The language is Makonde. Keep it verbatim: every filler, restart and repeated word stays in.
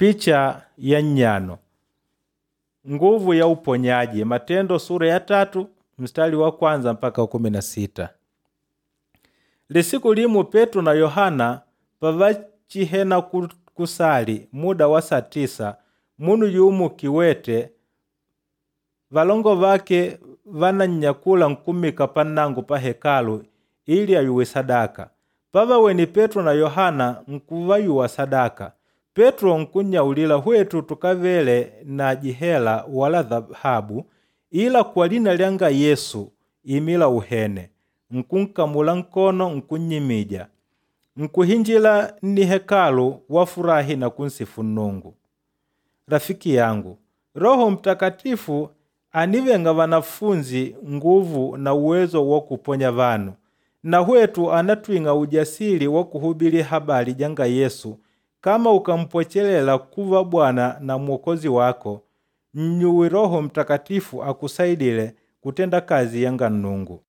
Picha ya nnyano nguvu ya uponyaji Matendo sura ya tatu mstari wa kwanza mpaka kumi na sita. Lisiku limu Petro na Yohana pavachihena kusali muda wa saa tisa munu yumu kiwete valongo vake vanannyakula nkumika pannango pa hekalu ili ayuwe sadaka. Pavaweni Petro na Yohana nkuvayuwa sadaka. Petro nkunnyaulila hwetu tukavele na jihela wala dhahabu ila kwa lina lyanga Yesu imila uhene. Nkunkamula nkono nkunnyimija. Nkuhinjila nni hekalu wafurahi na kunsifu Nnungu. Rafiki yangu, Roho Mtakatifu anivenga vanafunzi nguvu na uwezo wa kuponya vanu. Na hwetu anatwing'a ujasiri wa kuhubili habari janga Yesu kama ukampwechelela kuva Bwana na Mwokozi wako, nnyuwe Roho Mtakatifu akusaidile kutenda kazi yanga Nnungu.